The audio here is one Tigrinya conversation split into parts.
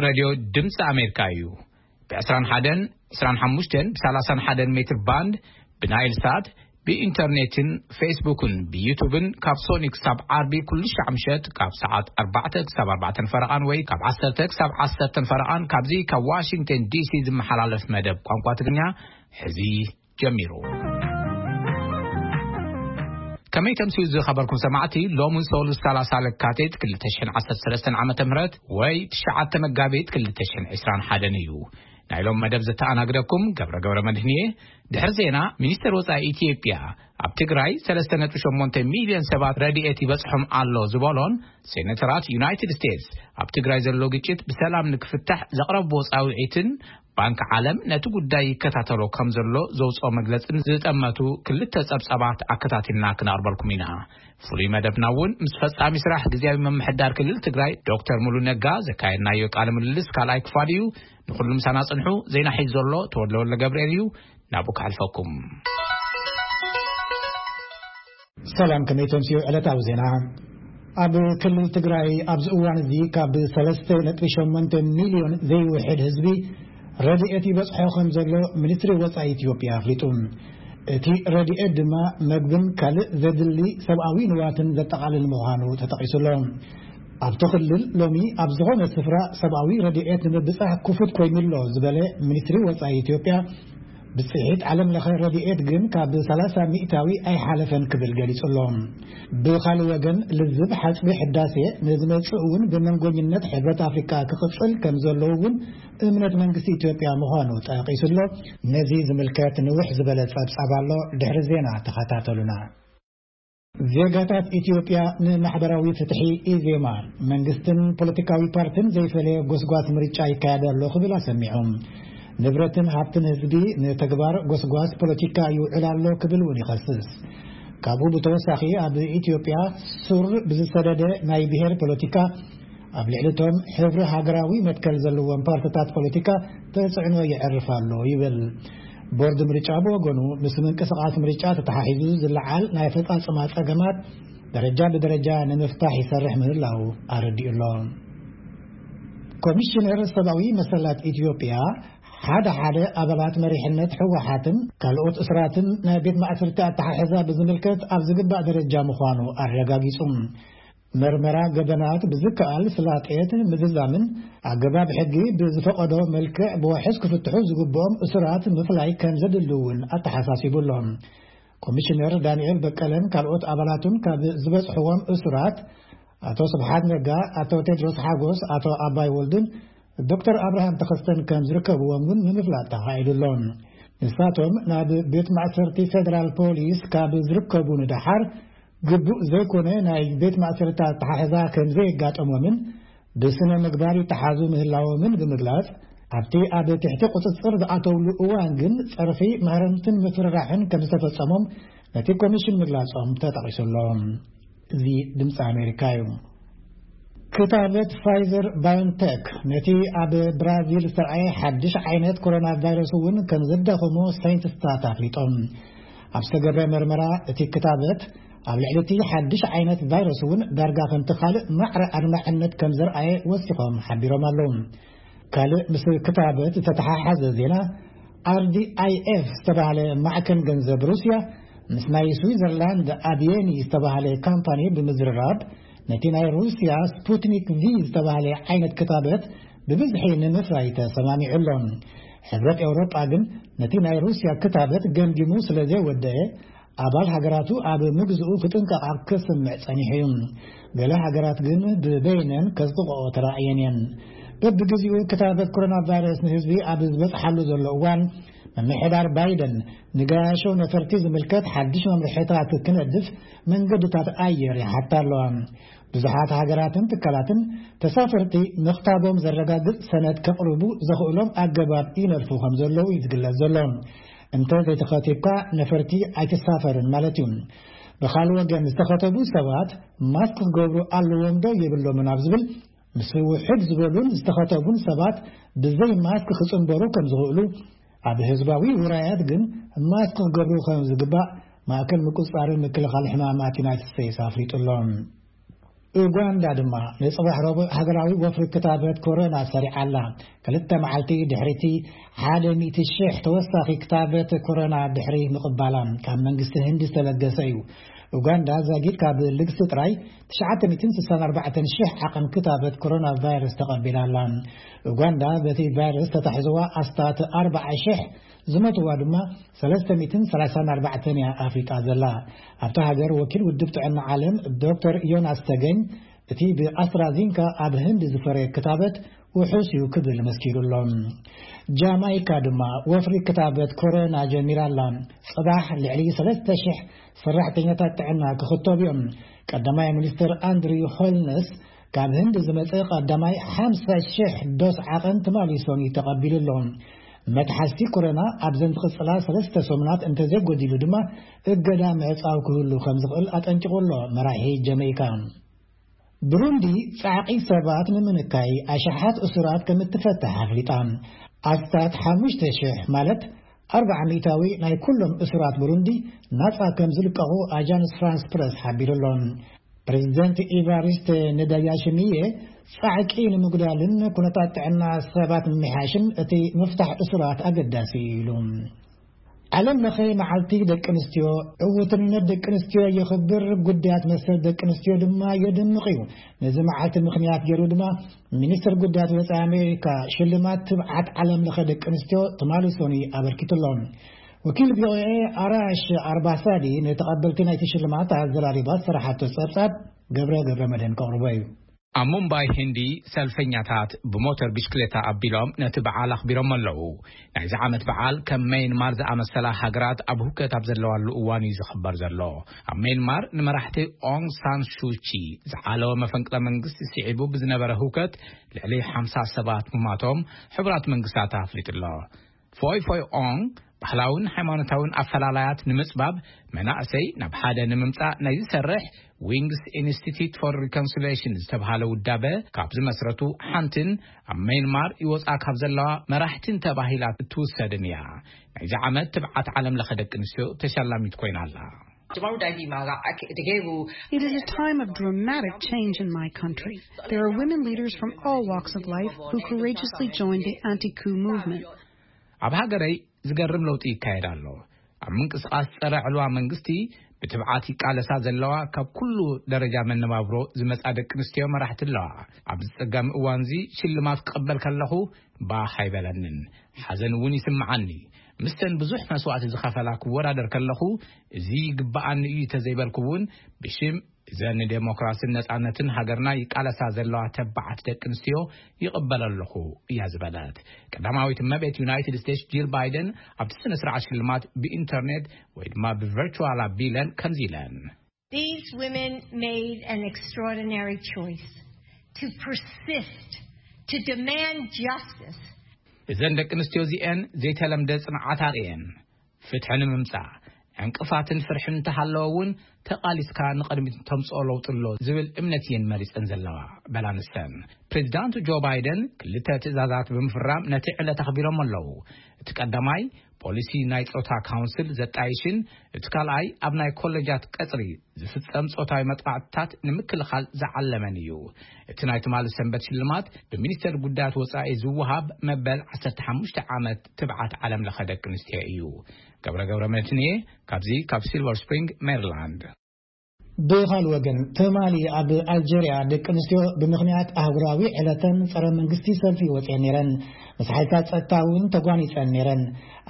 ሬድዮ ድምፂ ኣሜሪካ እዩ። ብ21፣ ብ25፣ ብ31 ሜትር ባንድ፣ ብናይል ሳት፣ ብኢንተርኔትን ፌስቡክን ብዩቱብን ካብ ሶኒ ክሳብ ዓርቢ ኩሉ ሻዕ ምሸት ካብ ሰዓት ኣርባዕተ ክሳብ ኣርባዕተን ፈረቓን ወይ ካብ ዓሰርተ ክሳብ ዓሰርተን ፈረቓን ካብዚ ካብ ዋሽንግተን ዲሲ ዝመሓላለፍ መደብ ቋንቋ ትግርኛ ሕዚ ጀሚሩ። ከመይ ተምስዩ ዝኸበርኩም ሰማዕቲ፣ ሎሚ ሰሉስ ሰላሳ ለካቲት ክልተ ሽሕን ዓሰርተ ሰለስተን ዓመተ ምህረት ወይ ትሽዓተ መጋቢት ክልተ ሽሕን ዕስራን ሓደን እዩ። ናይ ሎም መደብ ዘተኣናግደኩም ገብረ ገብረ መድህን እየ። ድሕሪ ዜና፣ ሚኒስትር ወጻኢ ኢትዮጵያ ኣብ ትግራይ ሰለስተ ነጥቢ ሸሞንተ ሚልዮን ሰባት ረድኤት ይበጽሖም ኣሎ ዝበሎን ሴኔተራት ዩናይትድ ስቴትስ ኣብ ትግራይ ዘሎ ግጭት ብሰላም ንክፍታሕ ዘቕረብዎ ጻውዒትን ባንክ ዓለም ነቲ ጉዳይ ይከታተሎ ከም ዘሎ ዘውፅኦ መግለፅን ዝጠመቱ ክልተ ፀብፃባት ኣከታቲልና ክነቕርበልኩም ኢና። ፍሉይ መደብና እውን ምስ ፈፃሚ ስራሕ ግዝያዊ ምምሕዳር ክልል ትግራይ ዶክተር ሙሉ ነጋ ዘካየድናዮ ቃለ ምልልስ ካልኣይ ክፋል እዩ። ንኩሉ ምሳና ፅንሑ። ዜና ሒዙ ዘሎ ተወልደ ወልደ ገብርኤል እዩ። ናብኡ ክሓልፈኩም። ሰላም፣ ከመይ ተምስዩ? ዕለታዊ ዜና። ኣብ ክልል ትግራይ ኣብዚ እዋን እዚ ካብ ሰለስተ ነጥቢ ሸሞንተ ሚልዮን ዘይውሕድ ህዝቢ ረድኤት ይበጽሖ ከም ዘሎ ሚኒስትሪ ወጻኢ ኢትዮጵያ ኣፍሊጡ። እቲ ረድኤት ድማ መግብን ካልእ ዘድሊ ሰብኣዊ ንዋትን ዘጠቓልል ምዃኑ ተጠቒሱ ኣሎ። ኣብቲ ክልል ሎሚ ኣብ ዝኾነ ስፍራ ሰብኣዊ ረድኤት ንምብጻሕ ክፉት ኮይኑ ኣሎ ዝበለ ሚኒስትሪ ወጻኢ ኢትዮጵያ፣ ብጽሒት ዓለም ለኸ ረድኤት ግን ካብ ሰላሳ ሚእታዊ ኣይሓለፈን ክብል ገሊጹ ኣሎ። ብኻልእ ወገን፣ ልዝብ ሓጽቢ ሕዳሴ ንዝመጽእ እውን ብመንጎኝነት ሕብረት ኣፍሪካ ክቕጽል ከም ዘለዎ እውን እምነት መንግስቲ ኢትዮጵያ ምዃኑ ጠቒሱ ኣሎ። ነዚ ዝምልከት ንውሕ ዝበለ ጸብጻብ ኣሎ። ድሕሪ ዜና ተኸታተሉና። ዜጋታት ኢትዮጵያ ንማሕበራዊ ፍትሒ፣ ኢዜማ፣ መንግስትን ፖለቲካዊ ፓርቲን ዘይፈለየ ጎስጓስ ምርጫ ይካየድ ኣሎ ክብል ኣሰሚዑ። ንብረትን ሃብትን ህዝቢ ንተግባር ጎስጓስ ፖለቲካ ይውዕል ኣሎ ክብል እውን ይኸስስ። ካብኡ ብተወሳኺ፣ ኣብ ኢትዮጵያ ሱር ብዝሰደደ ናይ ብሄር ፖለቲካ ኣብ ልዕሊ እቶም ሕብሪ ሃገራዊ መትከል ዘለዎም ፓርቲታት ፖለቲካ ተጽዕኖ የዕርፍ ኣሎ ይብል። ቦርድ ምርጫ ብወገኑ፣ ምስ ምንቅስቓስ ምርጫ ተተሓሒዙ ዝለዓል ናይ ኣፈጻጽማ ጸገማት ደረጃ ብደረጃ ንምፍታሕ ይሰርሕ ምህላው ኣረዲኡ ኣሎ። ኮሚሽነር ሰብኣዊ መሰላት ኢትዮጵያ፣ ሓደ ሓደ ኣባላት መሪሕነት ህወሓትን ካልኦት እስራትን ናይ ቤት ማእሰርቲ ኣተሓሕዛ ብዝምልከት ኣብ ዝግባእ ደረጃ ምዃኑ ኣረጋጊጹ። መርመራ ገበናት ብዝከኣል ስላጤት ምዝዛምን ኣገባብ ሕጊ ብዝፈቐዶ መልክዕ ብዋሕስ ክፍትሑ ዝግብኦም እሱራት ምፍላይ ከም ዘድሊ እውን ኣተሓሳሲቡ ኣሎ። ኮሚሽነር ዳንኤል በቀለን ካልኦት ኣባላቱን ካብ ዝበጽሕዎም እሱራት ኣቶ ስብሓት ነጋ፣ ኣቶ ቴድሮስ ሓጎስ፣ ኣቶ ኣባይ ወልድን ዶክተር ኣብርሃም ተኸስተን ከም ዝርከብዎም እውን ንምፍላጥ ተኻኢሉ ኣሎ። ንሳቶም ናብ ቤት ማእሰርቲ ፌደራል ፖሊስ ካብ ዝርከቡ ንደሓር፣ ግቡእ ዘይኮነ ናይ ቤት ማእሰርቲ ኣተሓሕዛ ከም ዘየጋጠሞምን ብስነ ምግባር ይተሓዙ ምህላዎምን ብምግላጽ፣ ኣብቲ ኣብ ትሕቲ ቁጽጽር ዝኣተውሉ እዋን ግን ጸርፊ፣ ማህረምትን ምፍርራሕን ከም ዝተፈጸሞም ነቲ ኮሚሽን ምግላጾም ተጠቒሱ ኣሎ። እዚ ድምፂ ኣሜሪካ እዩ። ክታበት ፋይዘር ባዮንቴክ ነቲ ኣብ ብራዚል ዝተርኣየ ሓድሽ ዓይነት ኮሮና ቫይረስ እውን ከም ዘዳኸሞ ሳይንቲስታት ኣፍሊጦም። ኣብ ዝተገብረ መርመራ፣ እቲ ክታበት ኣብ ልዕሊ እቲ ሓድሽ ዓይነት ቫይረስ እውን ዳርጋ ከምቲ ካልእ ማዕረ ኣድማዕነት ከም ዘርኣየ ወሲኾም ሓቢሮም ኣለዉ። ካልእ ምስ ክታበት ዝተተሓሓዘ ዜና፣ ኣር ዲ ኣይ ኤፍ ዝተባህለ ማዕከን ገንዘብ ሩስያ ምስ ናይ ስዊዘርላንድ ኣድየኒ ዝተባህለ ካምፓኒ ብምዝርራብ፣ ነቲ ናይ ሩስያ ስፑትኒክ ቪ ዝተባህለ ዓይነት ክታበት ብብዝሒ ንምፍራይ ተሰማሚዑ ኣሎ። ሕብረት ኤውሮጳ ግን ነቲ ናይ ሩስያ ክታበት ገምጊሙ ስለ ዘይወደአ፣ ኣባል ሃገራቱ ኣብ ምግዝኡ ክጥንቀቓ ክስምዕ ጸኒሑ እዩ። ገለ ሃገራት ግን ብበይነን ከጽድቕኦ ተራእየን እየን። በብግዜኡ ክታበት ኮሮና ቫይረስ ንህዝቢ ኣብ ዝበጽሓሉ ዘሎ እዋን፣ ምምሕዳር ባይደን ንገያሾ ነፈርቲ ዝምልከት ሓድሽ መምርሒታት ክነድፍ መንገድታት ኣየር ይሓታ ኣለዋ። ብዙሓት ሃገራትን ትካላትን ተሳፈርቲ ምኽታቦም ዘረጋግጽ ሰነድ ከቕርቡ ዘኽእሎም ኣገባብ ይነድፉ ከም ዘለዉ እዩ ዝግለጽ ዘሎ። እንተ ዘይተኸቲብካ ነፈርቲ ኣይትሳፈርን ማለት እዩ። ብኻልእ ወገን፣ ዝተኸተቡ ሰባት ማስክ ክገብሩ ኣለዎም ዶ የብሎምን ኣብ ዝብል፣ ምስ ውሑድ ዝበሉን ዝተኸተቡን ሰባት ብዘይ ማስክ ክጽንበሩ ከም ዝኽእሉ፣ ኣብ ህዝባዊ ውራያት ግን ማስክ ክገብሩ ከም ዝግባእ ማእከል ምቁጽጻርን ምክልኻል ሕማማት ዩናይትድ ስቴትስ ኣፍሊጡ ኣሎ። ኡጋንዳ ድማ ንጽባሕ ረቡዕ ሃገራዊ ወፍሪ ክታበት ኮሮና ሰሪዓ ኣላ። ክልተ መዓልቲ ድሕሪቲ ሓደ ሚእቲ ሽሕ ተወሳኺ ክታበት ኮሮና ድሕሪ ምቕባላ ካብ መንግስቲ ህንዲ ዝተለገሰ እዩ። ኡጋንዳ ዛጊድ ካብ ልግሲ ጥራይ ትሽዓተ ሚእትን ስሳን ኣርባዕተን ሽሕ ዓቐን ክታበት ኮሮና ቫይረስ ተቐቢላ ኣላ። ኡጋንዳ በቲ ቫይረስ ተታሕዝዋ ኣስታት ኣርባዓ ሽሕ፣ ዝሞትዋ ድማ ሰለስተ ሚእትን ሰላሳን ኣርባዕተን እያ ኣፍሊጣ ዘላ። ኣብታ ሃገር ወኪል ውድብ ጥዕና ዓለም ዶክተር ዮናስ ተገኝ፣ እቲ ብኣስትራዚንካ ኣብ ህንዲ ዝፈረየ ክታበት ውሑስ እዩ ክብል መስኪሩ ኣሎ። ጃማይካ ድማ ወፍሪ ክታበት ኮሮና ጀሚራ ኣላ። ጽባሕ ልዕሊ ሰለስተ ሽሕ ሰራሕተኛታት ጥዕና ክኽተቡ እዮም። ቀዳማይ ሚኒስትር ኣንድሪው ሆልነስ ካብ ህንዲ ዝመጸ ቀዳማይ ሓምሳ ሽሕ ዶስ ዓቐን ትማሊ ሰኑይ ተቐቢሉ ኣሎ። መትሓዝቲ ኮሮና ኣብዘን ዝቕጽላ ሰለስተ ሰሙናት እንተዘይጎዲሉ ድማ እገዳ ምዕጻው ክህሉ ከም ዝኽእል ኣጠንቂቑ ኣሎ መራሒ ጀመይካ። ብሩንዲ ጻዕቒ ሰባት ንምንካይ ኣሽሓት እሱራት ከም እትፈትሕ ኣፍሊጣ። ኣስታት ሓሙሽተ ሽሕ ማለት ኣርባዓ ሚእታዊ ናይ ኩሎም እሱራት ብሩንዲ ናጻ ከም ዝልቀቑ ኣጃንስ ፍራንስ ፕረስ ሓቢሩ ኣሎ። ፕሬዚደንት ኢቫሪስተ ንዳያሽሚየ ጻዕቂ ንምጉዳልን ኩነታት ጥዕና ሰባት ንምምሕያሽን እቲ ምፍታሕ እሱራት ኣገዳሲ እዩ ኢሉ። ዓለም ለኸ መዓልቲ ደቂ ኣንስትዮ ዕውትነት ደቂ ኣንስትዮ የኽብር፣ ጉዳያት መሰል ደቂ ኣንስትዮ ድማ የድምቕ እዩ። ነዚ መዓልቲ ምኽንያት ገይሩ ድማ ሚኒስትር ጉዳያት ወጻኢ ኣሜሪካ ሽልማት ትብዓት ዓለም ለኸ ደቂ ኣንስትዮ ትማሊ ሰኑይ ኣበርኪቱ ኣሎ። ወኪል ቪኦኤ ኣራሽ ኣርባሳዲ ንተቐበልቲ ናይቲ ሽልማት ኣዘራሪባ ዝሰራሓቶ ጸብጻብ ገብረ ገብረ መድህን ከቕርቦ እዩ። ኣብ ሙምባይ ህንዲ ሰልፈኛታት ብሞተር ብሽክሌታ ኣቢሎም ነቲ በዓል ኣኽቢሮም ኣለዉ። ናይዚ ዓመት በዓል ከም መይንማር ዝኣመሰላ ሃገራት ኣብ ሁከት ኣብ ዘለዋሉ እዋን እዩ ዝኽበር ዘሎ። ኣብ መይንማር ንመራሕቲ ኦንግ ሳን ሹቺ ዝዓለወ መፈንቅለ መንግስቲ ስዒቡ ብዝነበረ ሁከት ልዕሊ ሓምሳ ሰባት ምማቶም ሕቡራት መንግስታት ኣፍሊጡ ኣሎ። ፎይ ፎይ ኦንግ ባህላውን ሃይማኖታውን ኣፈላላያት ንምጽባብ መናእሰይ ናብ ሓደ ንምምጻእ ናይ ዝሰርሕ ዊንግስ ኢንስቲትዩት ፎር ሪኮንሲሌሽን ዝተብሃለ ውዳበ ካብ ዝመስረቱ ሓንትን ኣብ መይንማር ይወጻ ካብ ዘለዋ መራሕትን ተባሂላ እትውሰድን እያ። ናይዚ ዓመት ትብዓት ዓለም ለኸ ደቂ ኣንስትዮ ተሸላሚት ኮይና ኣላ። It is a time of dramatic change in my country. There are women leaders from all walks of life who courageously joined the anti-coup movement. ኣብ ሃገረይ ዝገርም ለውጢ ይካየድ ኣሎ። ኣብ ምንቅስቓስ ጸረ ዕልዋ መንግስቲ ብትብዓት ይቃለሳ ዘለዋ ካብ ኩሉ ደረጃ መነባብሮ ዝመጻ ደቂ ኣንስትዮ መራሕቲ ኣለዋ። ኣብዚ ጸጋሚ እዋንዚ ሽልማት ክቐበል ከለኹ ባህ ኣይበለንን። ሓዘን እውን ይስምዓኒ። ምስተን ብዙሕ መስዋእቲ ዝኸፈላ ክወዳደር ከለኹ እዚ ይግብኣኒ እዩ ተዘይበልኩ እውን ብሽም እዘን ንዴሞክራስን ነጻነትን ሃገርና ይቃለሳ ዘለዋ ተባዓት ደቂ ኣንስትዮ ይቕበል ኣለኹ እያ ዝበለት። ቀዳማዊት እመቤት ዩናይትድ ስቴትስ ጂል ባይደን ኣብቲ ስነ ስርዓት ሽልማት ብኢንተርኔት ወይ ድማ ብቨርቹዋል ኣቢለን ከምዚ ኢለን። These women made an extraordinary choice to persist, to demand justice. እዘን ደቂ ኣንስትዮ እዚአን ዘይተለምደ ጽንዓት ኣርእየን። ፍትሒ ንምምጻእ ዕንቅፋትን ፍርሕን እንተሃለወ እውን ተቓሊስካ ንቕድሚት ተምጽኦ ለውጢ ኣሎ ዝብል እምነት እየን መሪጸን ዘለዋ። በላ ንሰን ፕሬዚዳንት ጆ ባይደን ክልተ ትእዛዛት ብምፍራም ነቲ ዕለት ኣኽቢሮም ኣለዉ። እቲ ቀዳማይ ፖሊሲ ናይ ጾታ ካውንስል ዘጣይሽን እቲ ካልኣይ ኣብ ናይ ኮለጃት ቀጽሪ ዝፍጸም ጾታዊ መጥቃዕትታት ንምክልኻል ዝዓለመን እዩ። እቲ ናይ ትማሊ ሰንበት ሽልማት ብሚኒስተር ጉዳያት ወጻኢ ዝወሃብ መበል ዓሰርተ ሓሙሽተ ዓመት ትብዓት ዓለም ለኸ ደቂ ኣንስትዮ እዩ። ገብረ ገብረ መድህን እየ ካብዚ ካብ ሲልቨር ስፕሪንግ ሜሪላንድ። ብኻል ወገን ትማሊ ኣብ ኣልጀርያ ደቂ ኣንስትዮ ብምኽንያት ኣህጉራዊ ዕለተን ጸረ መንግስቲ ሰልፊ ወጽኤን ነይረን። ምስ ሓይልታት ጸጥታ እውን ተጓኒጸን ነይረን።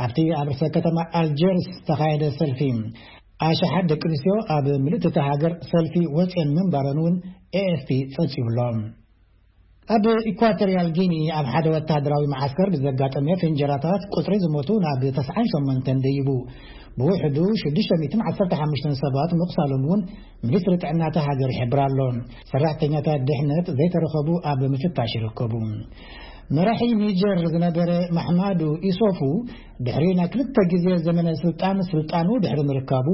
ኣብቲ ኣብ ርእሰ ከተማ ኣልጀርስ ዝተኻየደ ሰልፊ ኣሽሓት ደቂ ኣንስትዮ ኣብ ምልእቲ እታ ሃገር ሰልፊ ወጽኤን ምንባረን እውን ኤኤፍፒ ጸብጺቡ ኣሎ። ኣብ ኢኳቶሪያል ጊኒ ኣብ ሓደ ወተሃደራዊ መዓስከር ብዘጋጠመ ፍንጀራታት ቁጽሪ ዝሞቱ ናብ ተስዓን ሸሞንተን ደይቡ። ብውሕዱ ሽዱሽተ ሚእትን ዓሰርተ ሓሙሽተን ሰባት ምቑሳሎም እውን ሚኒስትሪ ጥዕና እታ ሃገር ይሕብር ኣሎ። ሰራሕተኛታት ድሕነት ዘይተረኸቡ ኣብ ምፍታሽ ይርከቡ። መራሒ ኒጀር ዝነበረ ማሕማዱ ኢሶፉ ድሕሪ ናይ ክልተ ግዜ ዘመነ ስልጣን ስልጣኑ ድሕሪ ምርካቡ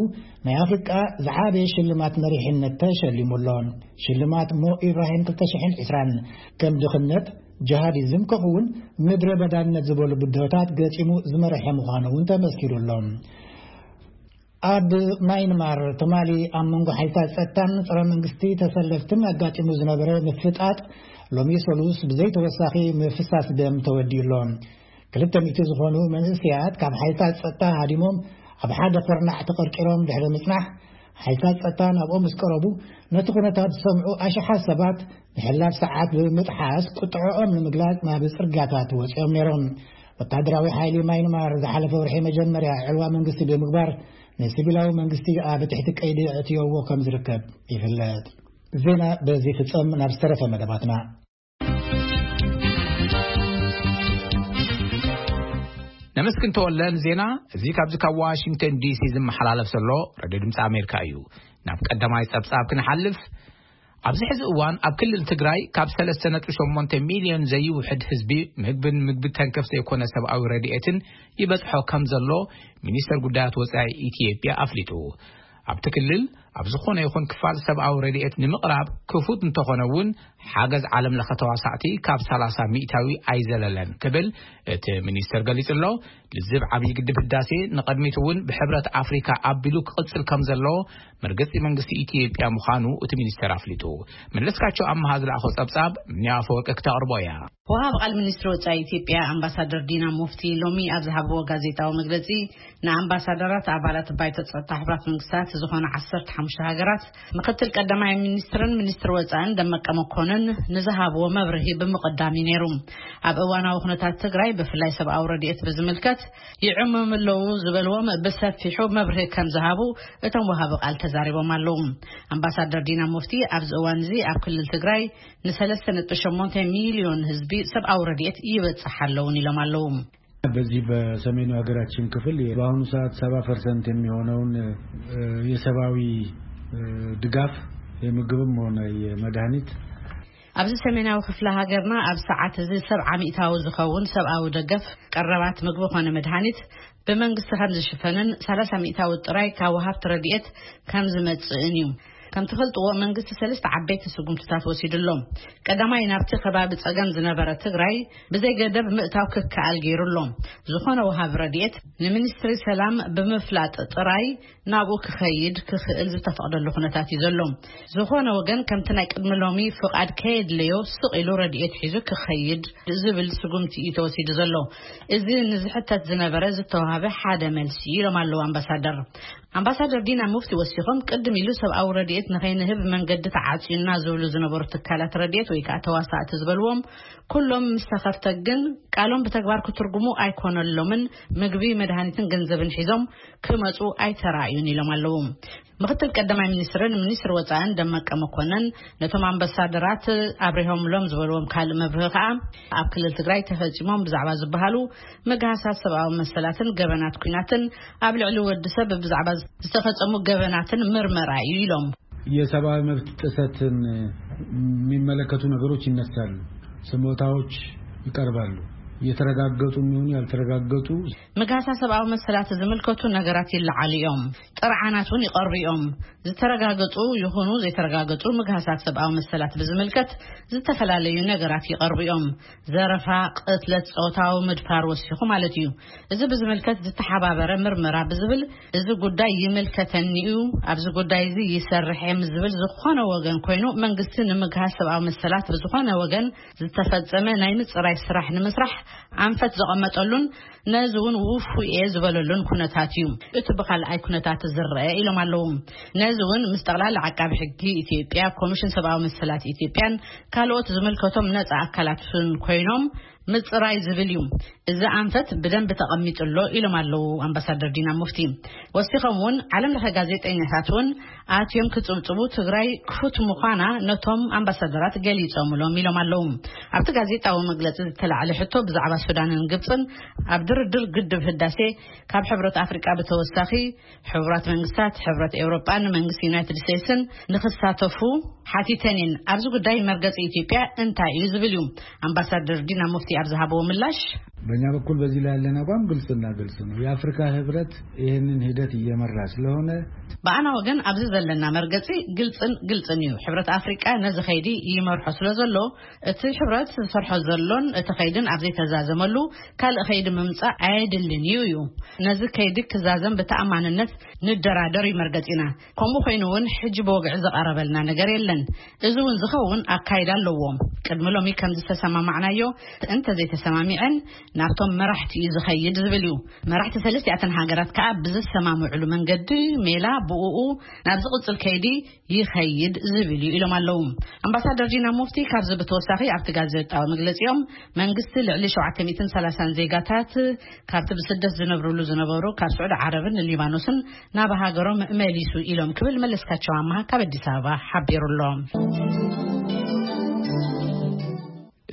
ናይ ኣፍሪቃ ዝዓበየ ሽልማት መሪሕነት ተሸሊሙ ኣሎ። ሽልማት ሞ ኢብራሂም ክልተ ሽሕን ዕስራን ከም ድኽነት፣ ጅሃዲዝም ከምኡ እውን ምድረ በዳነት ዝበሉ ብድሆታት ገጢሙ ዝመርሐ ምዃኑ እውን ተመስኪሩ ኣሎ። ኣብ ማይንማር ትማሊ ኣብ መንጎ ሓይልታት ጸጥታን ጸረ መንግስቲ ተሰለፍትን ኣጋጢሙ ዝነበረ ምፍጣጥ ሎሚ ሰሉስ ብዘይተወሳኺ ምፍሳስ ደም ተወዲኡ ኣሎ። ክልተ ሚእቲ ዝኾኑ መንእሰያት ካብ ሓይልታት ጸጥታ ሃዲሞም ኣብ ሓደ ኮርናዕ ተቐርቂሮም ድሕሪ ምጽናሕ፣ ሓይልታት ጸጥታ ናብኦም ምስ ቀረቡ፣ ነቲ ኩነታት ዝሰምዑ ኣሽሓት ሰባት ንሕላፍ ሰዓት ብምጥሓስ ቁጥዐኦም ንምግላጽ ናብ ጽርግያታት ወጺኦም ነይሮም። ወታደራዊ ሓይሊ ማይንማር ዝሓለፈ ወርሒ መጀመርያ ዕልዋ መንግስቲ ብምግባር ንሲቪላዊ መንግስቲ ኣብ ትሕቲ ቀይዲ ኣእትዮዎ ከም ዝርከብ ይፍለጥ። ዜና በዚ ፍጸም። ናብ ዝተረፈ መደባትና። ነመስግን ተወለ ንዜና። እዚ ካብዚ ካብ ዋሽንግተን ዲሲ ዝመሓላለፍ ዘሎ ሬድዮ ድምፂ ኣሜሪካ እዩ። ናብ ቀዳማይ ጸብጻብ ክንሓልፍ፣ ኣብዚ ሕዚ እዋን ኣብ ክልል ትግራይ ካብ ሰለስተ ነጥቢ ሸሞንተ ሚልዮን ዘይውሕድ ህዝቢ ምግብን ምግቢ ተንከፍ ዘይኮነ ሰብኣዊ ረድኤትን ይበጽሖ ከም ዘሎ ሚኒስተር ጉዳያት ወጻኢ ኢትዮጵያ ኣፍሊጡ። ኣብቲ ክልል ኣብ ዝኾነ ይኹን ክፋል ሰብኣዊ ረድኤት ንምቕራብ ክፉት እንተኾነ እውን፣ ሓገዝ ዓለም ለኸ ተዋሳእቲ ካብ ሰላሳ ሚእታዊ ኣይዘለለን ክብል እቲ ሚኒስተር ገሊጹ ኣሎ። ልዝብ ዓብዪ ግድብ ህዳሴ ንቐድሚት እውን ብሕብረት ኣፍሪካ ኣቢሉ ክቕጽል ከም ዘለዎ መርገጺ መንግስቲ ኢትዮጵያ ምዃኑ እቲ ሚኒስተር ኣፍሊጡ። መለስካቸው ኣመሃ ዝለኣኾ ጸብጻብ፣ ምንያ ኣፈወርቂ ክተቕርቦ እያ። ወሃብ ቃል ሚኒስትሪ ወጻኢ ኢትዮጵያ ኣምባሳደር ዲና ሙፍቲ ሎሚ ኣብ ዝሃብዎ ጋዜጣዊ መግለጺ፣ ንኣምባሳደራት ኣባላት ባይቶ ጸጥታ ሕቡራት መንግስታት ዝኾነ ዓሰርተ ሓሙሽተ ሃገራት፣ ምክትል ቀዳማይ ሚኒስትርን ሚኒስትር ወጻእን ደመቀ መኮንን ንዝሃብዎ መብርሂ ብምቕዳም እዩ ነይሩ። ኣብ እዋናዊ ኩነታት ትግራይ ብፍላይ ሰብኣዊ ረድኤት ብዝምልከት ይዕመሙ ኣለዉ ዝበልዎም ብሰፊሑ መብርሂ ከም ዝሃቡ እቶም ወሃቢ ቃል ተዛሪቦም ኣለዉ። ኣምባሳደር ዲና ሙፍቲ ኣብዚ እዋን እዚ ኣብ ክልል ትግራይ ንሰለስተ ነጥቢ ሸሞንተ ሚልዮን ህዝቢ ሰብኣዊ ረድኤት ይበጽሕ ኣለውን ኢሎም ኣለዉ። በዚህ በሰሜኑ ሀገራችን ክፍል በአሁኑ ሰዓት ሰባ ፐርሰንት የሚሆነውን የሰብአዊ ድጋፍ የምግብም ሆነ የመድኃኒት ኣብዚ ሰሜናዊ ክፍለ ሃገርና ኣብ ሰዓት እዚ ሰብዓ ሚእታዊ ዝኸውን ሰብኣዊ ደገፍ፣ ቀረባት ምግቢ ኾነ መድሃኒት ብመንግስቲ ከም ዝሽፈንን ሰላሳ ሚእታዊ ጥራይ ካብ ወሃብቲ ረድኤት ከም ዝመጽእን እዩ። ከም ትፈልጥዎ መንግስቲ ሰለስተ ዓበይቲ ስጉምትታት ወሲዱ ኣሎ። ቀዳማይ ናብቲ ከባቢ ጸገም ዝነበረ ትግራይ ብዘይ ገደብ ምእታው ክከኣል ገይሩ ኣሎ። ዝኾነ ወሃቢ ረድኤት ንሚኒስትሪ ሰላም ብምፍላጥ ጥራይ ናብኡ ክኸይድ ክኽእል ዝተፈቕደሉ ኩነታት እዩ ዘሎ። ዝኾነ ወገን ከምቲ ናይ ቅድሚ ሎሚ ፍቓድ ከየድለዮ ስቕ ኢሉ ረድኤት ሒዙ ክኸይድ ዝብል ስጉምቲ እዩ ተወሲዱ ዘሎ። እዚ ንዝሕተት ዝነበረ ዝተዋህበ ሓደ መልሲ እዩ ኢሎም ኣለዉ ኣምባሳደር። ኣምባሳደር ዲና ሙፍቲ ወሲኾም ቅድም ኢሉ ሰብኣዊ ረድኤት ንኸይንህብ መንገዲ ተዓፅዩና ዝብሉ ዝነበሩ ትካላት ረድኤት ወይ ከዓ ተዋሳእቲ ዝበልዎም ኩሎም ምስ ተኸፍተ ግን ቃሎም ብተግባር ክትርጉሙ ኣይኮነሎምን። ምግቢ፣ መድሃኒትን ገንዘብን ሒዞም ክመጹ ኣይተራእዩን ኢሎም ኣለዉ። ምክትል ቀዳማይ ሚኒስትርን ሚኒስትር ወጻእን ደመቀ መኮንን ነቶም ኣምባሳደራት ኣብሪሆምሎም ዝበልዎም ካልእ መብርሂ ከኣ ኣብ ክልል ትግራይ ተፈጺሞም ብዛዕባ ዝበሃሉ ምግሃሳት ሰብኣዊ መሰላትን ገበናት ኲናትን ኣብ ልዕሊ ወዲ ሰብ ብዛዕባ ዝተፈጸሙ ገበናትን ምርመራ እዩ ኢሎም። የሰብኣዊ መብት ጥሰትን የሚመለከቱ ነገሮች ይነሳሉ፣ ስሞታዎች ይቀርባሉ። የተረጋገጡ የሚሆኑ ያልተረጋገጡ ምግሃሳ ሰብኣዊ መሰላት ዝምልከቱ ነገራት ይለዓሉ እዮም። ጥርዓናት እውን ይቐርቡ እዮም። ዝተረጋገጹ ይኹኑ ዘይተረጋገጹ ምግሃሳት ሰብኣዊ መሰላት ብዝምልከት ዝተፈላለዩ ነገራት ይቐርቡ እዮም። ዘረፋ፣ ቅትለት፣ ጾታዊ ምድፋር ወሲኹ ማለት እዩ። እዚ ብዝምልከት ዝተሓባበረ ምርመራ ብዝብል እዚ ጉዳይ ይምልከተኒ እዩ፣ ኣብዚ ጉዳይ እዚ ይሰርሕ እየ ምስ ዝብል ዝኾነ ወገን ኮይኑ መንግስቲ ንምግሃስ ሰብኣዊ መሰላት ብዝኾነ ወገን ዝተፈጸመ ናይ ምጽራይ ስራሕ ንምስራሕ ኣንፈት ዘቐመጠሉን ነዚ እውን ውፉይ እየ ዝበለሉን ኩነታት እዩ። እቲ ብኻልኣይ ኩነታት ዝረአ ኢሎም ኣለዉ። ነዚ እውን ምስ ጠቕላላ ዓቃቢ ሕጊ ኢትዮጵያ፣ ኮሚሽን ሰብኣዊ መሰላት ኢትዮጵያን ካልኦት ዝምልከቶም ነጻ ኣካላትን ኮይኖም ምጽራይ ዝብል እዩ። እዚ ኣንፈት ብደንቢ ተቐሚጡ ኣሎ ኢሎም ኣለዉ ኣምባሳደር ዲና ሙፍቲ። ወሲኾም እውን ዓለም ለኸ ጋዜጠኛታት እውን ኣትዮም ክጽብጽቡ ትግራይ ክፉት ምዃና ነቶም ኣምባሳደራት ገሊጾምሎም ኢሎም ኣለዉ። ኣብቲ ጋዜጣዊ መግለጺ ዝተላዕለ ሕቶ ብዛዕባ ሱዳንን ግብጽን ኣብ ድርድር ግድብ ህዳሴ ካብ ሕብረት ኣፍሪቃ ብተወሳኺ ሕቡራት መንግስታት፣ ሕብረት ኤውሮጳን መንግስቲ ዩናይትድ ስቴትስን ንክሳተፉ ሓቲተን እየን። ኣብዚ ጉዳይ መርገጺ ኢትዮጵያ እንታይ እዩ ዝብል እዩ። ኣምባሳደር ዲና ሙፍቲ ኣብ ዝሃብዎ ምላሽ፣ በእኛ በኩል በዚህ ላይ ያለን አቋም ግልጽና ግልጽ ነው። የአፍሪካ ህብረት ይህንን ሂደት እየመራ ስለሆነ በአና ወገን ኣብዚ ዘለና መርገጺ ግልጽን ግልጽን እዩ። ሕብረት ኣፍሪቃ ነዚ ኸይዲ ይመርሖ ስለ ዘሎ፣ እቲ ሕብረት ዝሰርሖ ዘሎን እቲ ኸይድን ኣብ ዘይተዛዘመሉ ካልእ ኸይዲ ምምጻእ ኣየድልን እዩ እዩ። ነዚ ከይዲ ክዛዘም ብተኣማንነት ንደራደር እዩ መርገጺና። ከምኡ ኮይኑ እውን ሕጂ ብወግዒ ዝቐረበልና ነገር የለን። እዚ እውን ዝኸውን ኣካይዳ ኣለዎም። ቅድሚ ሎሚ ከም ዝተሰማማዕናዮ እንተ ዘይተሰማሚዐን ናብቶም መራሕቲ እዩ ዝኸይድ ዝብል እዩ። መራሕቲ ሰለስቲኣተን ሃገራት ከዓ ብዝሰማምዕሉ መንገዲ ሜላ ብኡ ናብ ዝቕጽል ከይዲ ይኸይድ ዝብል እዩ ኢሎም ኣለዉ። ኣምባሳደር ዲና ሙፍቲ ካብዚ ብተወሳኺ ኣብቲ ጋዜጣዊ መግለጺኦም መንግስቲ ልዕሊ ሸውዓተ ሚእትን ሰላሳን ዜጋታት ካብቲ ብስደት ዝነብርሉ ዝነበሩ ካብ ስዑዲ ዓረብን ሊባኖስን ናብ ሃገሮም መሊሱ ኢሎም ክብል መለስካቸው ኣማሃ ካብ ኣዲስ ኣበባ ሓቢሩ ኣሎ።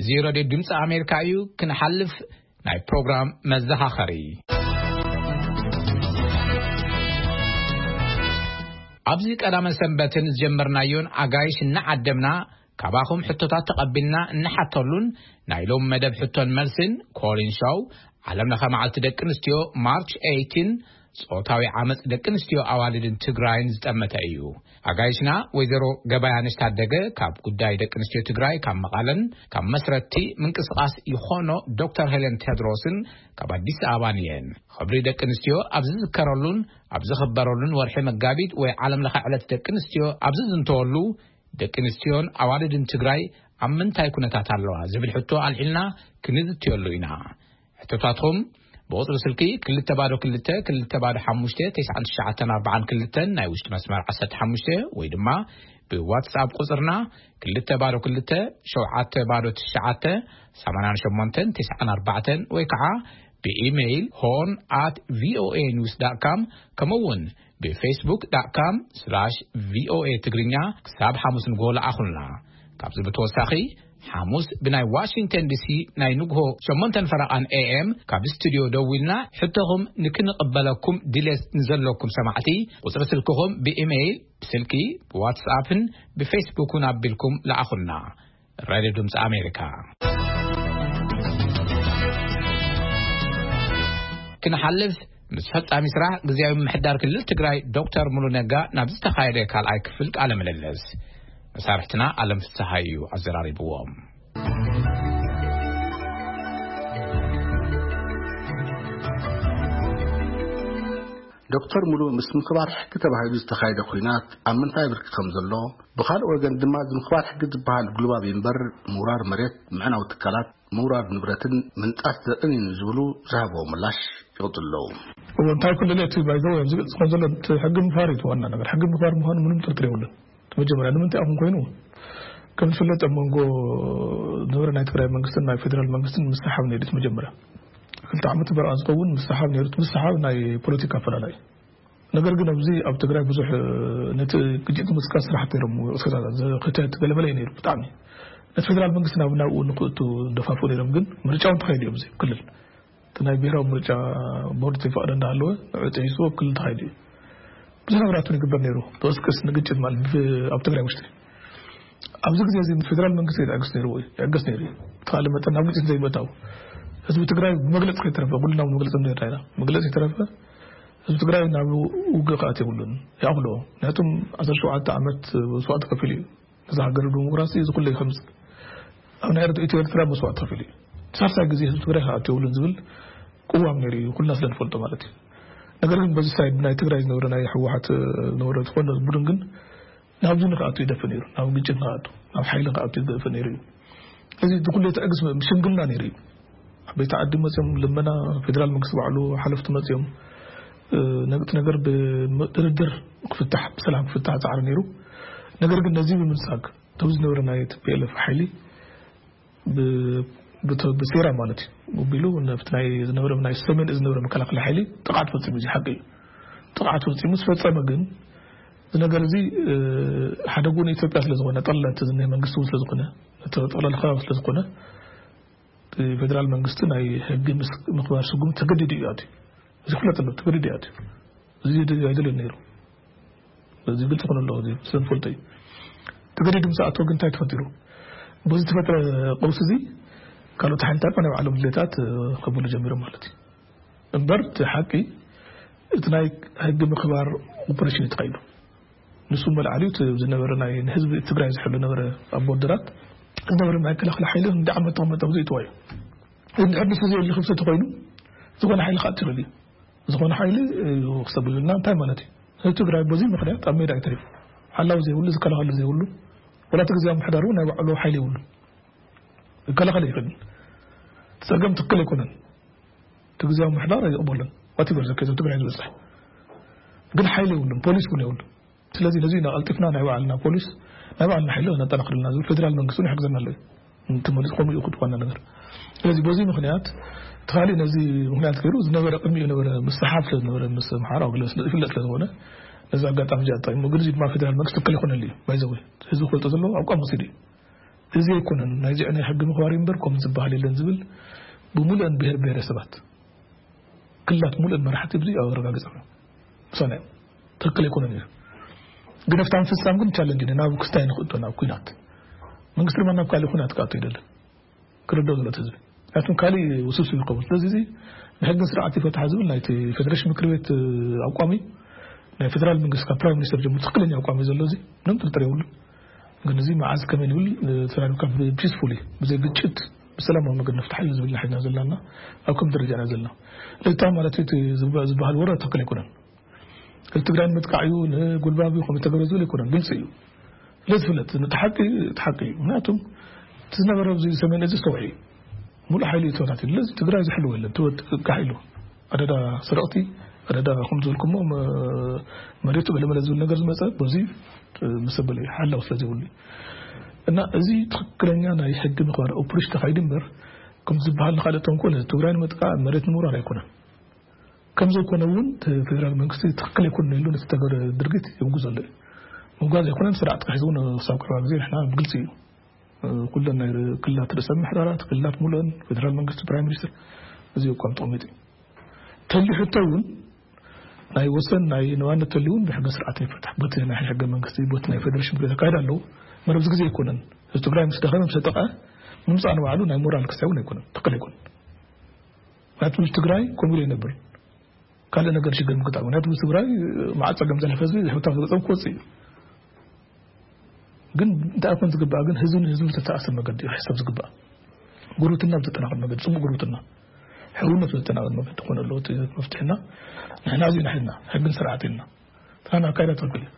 እዚ ሬድዮ ድምፂ ኣሜሪካ እዩ። ክንሓልፍ ናይ ፕሮግራም መዘኻኸሪ። ኣብዚ ቀዳመ ሰንበትን ዝጀመርናዮን ኣጋይሽ እናዓደምና ካባኹም ሕቶታት ተቐቢልና እንሓተሉን ናይ ሎም መደብ ሕቶን መልስን ኮሊን ሾው ዓለም ለኸ መዓልቲ ደቂ ኣንስትዮ ማርች ኤይቲን ጾታዊ ዓመፅ ደቂ ኣንስትዮ ኣዋልድን ትግራይን ዝጠመተ እዩ። ኣጋይሽና ወይዘሮ ገባያነሽ ታደገ ካብ ጉዳይ ደቂ ኣንስትዮ ትግራይ ካብ መቓለን ካብ መስረቲ ምንቅስቃስ ይኾኖ ዶክተር ሄለን ቴድሮስን ካብ ኣዲስ ኣበባን እየን። ክብሪ ደቂ ኣንስትዮ ኣብ ዝዝከረሉን ኣብ ዝኽበረሉን ወርሒ መጋቢት ወይ ዓለም ለኸ ዕለት ደቂ ኣንስትዮ ኣብ ዝዝንተወሉ ደቂ ኣንስትዮን ኣዋልድን ትግራይ ኣብ ምንታይ ኩነታት ኣለዋ ዝብል ሕቶ ኣልዒልና ክንዝትየሉ ኢና። ሕቶታትኩም ብቁፅሪ ስልኪ ክልተ ባዶ ክልተ ክልተ ባዶ ሓሙሽተ ተስዓን ትሽዓተን ኣርባዓን ክልተን ናይ ውሽጢ መስመር ዓሰርተ ሓሙሽተ ወይ ድማ ብዋትስኣፕ ቁፅርና ክልተ ባዶ ክልተ ሸውዓተ ባዶ ትሽዓተ ሰማንያን ሸሞንተን ተስዓን ኣርባዕተን ወይ ከዓ ብኢሜይል ሆን ኣት ቪኦኤ ኒውስ ዳት ካም ከምኡ እውን ብፌስቡክ ዳት ካም ስላሽ ቪኦኤ ትግርኛ ክሳብ ሓሙስ ንግሆ ለኣኹልና። ካብዚ ብተወሳኺ ሓሙስ ብናይ ዋሽንግተን ዲሲ ናይ ንግሆ ሸሞንተን ፈረቓን ኤኤም ካብ ስቱዲዮ ደዊልና ሕቶኹም ንክንቕበለኩም ድሌት ንዘለኩም ሰማዕቲ ቁፅሪ ስልክኹም ብኢሜይል ብስልኪ ብዋትስኣፕን ብፌስቡክን ኣቢልኩም ለኣኹልና። ራድዮ ድምፂ ኣሜሪካ። ክንሓልፍ ምስ ፈጻሚ ስራሕ ግዝያዊ ምምሕዳር ክልል ትግራይ ዶክተር ሙሉ ነጋ ናብ ዝተኻየደ ካልኣይ ክፍል ቃለ ምልልስ መሳርሕትና ኣለም ፍስሓ እዩ ኣዘራሪብዎም። ዶክተር ሙሉ ምስ ምኽባር ሕጊ ተባሂሉ ዝተኻየደ ኹናት ኣብ ምንታይ ብርኪ ከም ዘሎ፣ ብኻልእ ወገን ድማ እዚ ምኽባር ሕጊ ዝበሃል ጉልባብ እምበር ምውራር መሬት፣ ምዕናው ትካላት፣ ምውራር ንብረትን ምንጣስ ዘርእን እዩ ዝብሉ ዝሃብዎ ምላሽ ይቕጽሉ ኣለዉ። እዎ፣ እንታይ ኩሉ እቲ ባይዘው ኣብዚ ዝኾን ዘሎ እቲ ሕጊ ምኽባር እዩ እቲ ዋና ነገር። ሕጊ ምኽባር ምዃኑ ምንም ጥርጥር የብሉን። እቲ መጀመርያ ንምንታይ ኣኹም ኮይኑ ከም ዝፍለጥ ኣብ መንጎ ዝነበረ ናይ ትግራይ መንግስትን ናይ ፌደራል መንግስትን ምስሓብ ነይሩ እቲ መጀመርያ ክልተ ዓመት በረኣ ዝኸውን ምስሓብ ነይሩ። እቲ ምስሓብ ናይ ፖለቲካ ኣፈላላይ ነገር ግን ኣብዚ ኣብ ትግራይ ብዙሕ ነቲ ግጭት ንምስካስ ስራሕቲ ነይሮም። ቅስቀሳታት ዘኽተት ገለመለ እዩ ነይሩ። ብጣዕሚ ነቲ ፌደራል መንግስቲ ናብ ናብኡ ንክእቱ ደፋፉ ነይሮም። ግን ምርጫ እውን ተኻይዱ እዮም እዚ ክልል እቲ ናይ ብሔራዊ ምርጫ ቦርድ ዘይፈቕደ እንዳሃለወ ንዕኡ ጥሒሱ ክልል ተኻይዱ እዩ። ብዙሕ ነገራት እውን ይግበር ነይሩ። ብቅስቅስ ንግጭት ማለት ብ- ኣብ ትግራይ ውሽጢ ኣብዚ ግዜ እዚ ፌደራል መንግስቲ ይዕግስ ነይሩ ወይ ይዕገስ ነይሩ እዩ። ብተኻለ መጠን ናብ ግጭት ዘይምእታው ህዝቢ ትግራይ ብመግለፂ ከይተረፈ ኩልና እውን መግለፂ ንርዳ ኢና። መግለፂ ከይተረፈ ህዝቢ ትግራይ ናብ ውግእ ክኣት የብሉን። ይኣኽሎ ምክንያቱም ዓሰርተ ሸውዓተ ዓመት መስዋእቲ ከፊሉ እዩ። ነዚ ሃገር ዲሞክራሲ እዚ ኩሉ ከምፅ ኣብ ናይ ኤርትራ ኢትዮ ኤርትራ መስዋእቲ ከፊሉ እዩ። ሳልሳይ ግዜ ህዝቢ ትግራይ ክኣት የብሉን ዝብል ቅዋም ነይሩ እዩ ኩልና ስለ ንፈልጦ ማለት እዩ። ነገር ግን በዚ ሳይድ ናይ ትግራይ ዝነበረ ናይ ህወሓት ዝነበረ ዝኾነ ቡድን ግን ናብዚ ንክኣቱ ይደፍእ ነይሩ። ናብ ግጭት ንክኣቱ ናብ ሓይሊ ንክኣቱ ይደፍእ ነይሩ እዩ። እዚ ኩሉ ትዕግስ ሽምግልና ነይሩ እዩ። ዓበይቲ ዓዲ መፅኦም ልመና ፌደራል መንግስቲ ባዕሉ ሓለፍቲ መፅኦም ነግቲ ነገር ብድርድር ክፍታሕ ብሰላም ክፍታሕ ፃዕሪ ነይሩ። ነገር ግን ነዚ ብምንሳግ ተብዚ ዝነበረ ናይ ቲፒኤልኤፍ ሓይሊ ብሴራ ማለት እዩ ቢሉ ነብቲ ናይ ዝነበረ ናይ ሰሜን ዝነበረ መከላከሊ ሓይሊ ጥቕዓት ፈፂሙ እዚ ሓቂ እዩ። ጥቕዓት ፈፂሙ ዝፈፀመ ግን እዚ ነገር እዚ ሓደ ጎኒ ኢትዮጵያ ስለ ዝኾነ ጠለለ እቲ ዝኒሀ መንግስቲ እውን ስለ ዝኾነ እቲ ጠለለ ከባቢ ስለ ዝኾነ እቲ ፌደራል መንግስቲ ናይ ሕጊ ምኽባር ስጉም ተገዲዱ እዩ ኣትዩ። እዚ ክፍለጥ ኣለዎ። ተገዲዱ እዩ ኣትዩ። እዚ ኣይደልን ነይሩ። እዚ ግልፂ ክኾን ኣለዎ። እዚ ስለ ንፈልጦ እዩ። ተገዲዱ ምስ ኣተወ ግን እንታይ ተፈጢሩ? በዚ ዝተፈጥረ ቀውሲ እዚ ካልኦት ሓይልታት ናይ ባዕሎም ድሌታት ከብሉ ጀሚሮም ማለት እዩ። እምበር እቲ ሓቂ እቲ ናይ ሕጊ ምኽባር ኦፕሬሽን እዩ ተኻይዱ። ንሱ መልዓሊ እቲ ዝነበረ ናይ ንህዝቢ ትግራይ ዝሕሉ ነበረ ኣብ ቦርደራት ዝነበረ ናይ ክልኽል ሓይሊ እንደ ዓመት ተቐመጠ ብዙ ይተዋዩ። እንድሕር ንሱ ዘየሊ ክፍተት ተኾይኑ ዝኾነ ሓይሊ ክኣት ይኽእል እዩ። ዝኾነ ሓይሊ ክሰብልና እንታይ ማለት እዩ? ህዝቢ ትግራይ በዚ ምኽንያት ኣብ ሜዳ ይተሪፉ። ሓላዊ ዘይብሉ ዝከላኸሉ ዘይብሉ ወላ እቲ ግዜያዊ ምሕዳሩ ናይ ባዕሉ ሓይሊ ይብሉ። ይከላኸል ይኽእል። ጸገም ትክክል ኣይኮነን። እቲ ግዜያዊ ምሕዳር ኣይቕበሉን። ዋቲቨር ዘከዘ ትግራይ ዝበፅሕ ግን ሓይሊ የብሉን፣ ፖሊስ እውን የብሉን። ስለዚ ነዚ ኢና ቀልጢፍና ናይ ባዕልና ፖሊስ ናይ ባዕልና ሓይሊ ነጠናኽርልና ዝብል ፌደራል መንግስቲ እውን ይሕግዘና ኣሎ እዩ። እንተመሊስ ከምኡ እዩ ክትኾና ነገር። ስለዚ በዚ ምኽንያት እቲ ካልእ ነዚ ምኽንያት ገይሩ ዝነበረ ቅድሚኡ ነበረ ምስሓብ ስለ ዝነበረ ምስ ኣምሓራ ግለ ስለ ይፍለጥ ስለ ዝኾነ ነዚ ኣጋጣሚ እዚኣ ተጠቂሙ። ግን እዚ ድማ ፌደራል መንግስቲ ትክክል ይኮነሉ እዩ። ባይዘወ ህዝቢ ክፈልጦ ዘለዎ ኣቋም ወሲዱ እዩ። እዚ ኣይኮነን ናይዚ ናይ ሕጊ ምኽባር እምበር ከም ዝበሃል የለን ዝብል ብሙሉእን ብሄር ብሄረሰባት ክልላት ሙሉእን መራሕቲ ብዙ ኣረጋግጸ ምሳና ትክክል ኣይኮነን እዩ። ግን ኣብታ ምፍጻም ግን ቻለንጅ ኢና ናብ ክስታይ ንኽእቶ ናብ ኩናት መንግስቲ ድማ ናብ ካልእ ኩናት ክኣቶ ይደልን ክርዶ ዝለት ህዝቢ ኣቱም ካልእ ውስብስብ ይኸውን። ስለዚ እዚ ንሕግን ስርዓት ይፈትሓ ዝብል ናይቲ ፌደሬሽን ምክር ቤት ኣቋሚ ናይ ፌደራል መንግስቲ ካብ ፕራይም ሚኒስተር ጀምሩ ትክክለኛ ኣቋሚ ዘሎ እዚ ምንም ጥርጥር የብሉ። ግን እዚ መዓዝ ከመይ ንብል ተራሪብካ ብፒስፉሊ ብዘይ ግጭት ብሰላማዊ መገዲ ንፍትሓ እዩ ዝብል ሓይልና ዘለና ኣብ ከም ደረጃና ዘለና። ልታ ማለት እቲ ዝበሃል ወረ ትክክል ኣይኮነን። ትግራይ ንምጥቃዕ እዩ ንጉልባብ እዩ ከም ተገበረ ዝብል ኣይኮነን ግልፂ እዩ። ስለዝፍለጥ እቲ ሓቂ እቲ ሓቂ እዩ። ምክንያቱም እቲ ዝነበረ ኣብዚ ሰሜን እዚ ዝተውሒ ሙሉእ ሓይሊ እዩ ተወታቲሉ። ስለዚ ትግራይ ዝሕልዎ የለን። ትወት ጋሕ ኢሉ ኣደዳ ስረቕቲ ኣደዳ ከም ዝብልኩሞ መ- መሬቱ ገለመለ ዝብል ነገር ዝመፀ በዚ ምስ ኣበለ ሓላው ስለ ዘይብሉ እዩ። እና እዚ ትክክለኛ ናይ ሕጊ ምኽባር ኦፕሬሽን ተኻይዱ እምበር ከም ዝበሃል ንካልእ ተንኮል ትግራይ ንምጥቃዕ መሬት ንምውራር ኣይኮነን። ከም ዘይኮነ እውን እቲ ፌደራል መንግስቲ ትክክል ኣይኮነን ኢሉ ነቲ ተገረ ድርጊት ይውግዝ ዘሎ እዩ። ምውጋዝ ኣይኮነን ስርዓት ጥራሕ እውን ክሳብ ቀረባ ግዜ ንሕና ብግልፂ እዩ ኩለን ናይ ክልላት ርእሰ ምሕዳራት ክልላት ሙሉእን ፌደራል መንግስቲ ፕራይም ሚኒስትር እዚ እኳ ተቐሚጡ እዩ። ተሊሑ እውን ናይ ወሰን ናይ ነዋነት ተልውን ብሕገ ስርዓት ይፈታሕ በቲ ናይ ሕገ መንግስቲ በቲ ናይ ፌደሬሽን ብለ ተካይድ ኣለዉ። መረብዚ ግዜ ኣይኮነን። እዚ ትግራይ ምስ ደኸመ ምስ ተጠቐ ምምፃእ ንባዕሉ ናይ ሞራል ክሳይ እውን ኣይኮነን ትክክል ኣይኮነን። ምክንያቱ ምስ ትግራይ ከምኡ ኢሉ ይነብር ካልእ ነገር ሽግር ምግጣም ምክንያቱ ምስ ትግራይ መዓት ፀገም ዘለፈ ህዝቢ ሕውታም ዝገፀም ክወፅእ እዩ። ግን እንታይ ኮን ዝግባእ ግን ህዝቢ ንህዝቢ ዝተተኣሰር መገዲ እዩ ክሕሰብ ዝግባእ። ጉርብትና ብዘጠናኸር መገዲ ፅቡቅ ጉርብትና ሕውነት ብዘጠናኸር መገዲ ክኾነ ኣለዎ እቲ መፍትሕና። ንሕና እዚ ንሕና ሕግን ስርዓት ኢልና ትናን ኣካይዳ ትኽክል እዩ።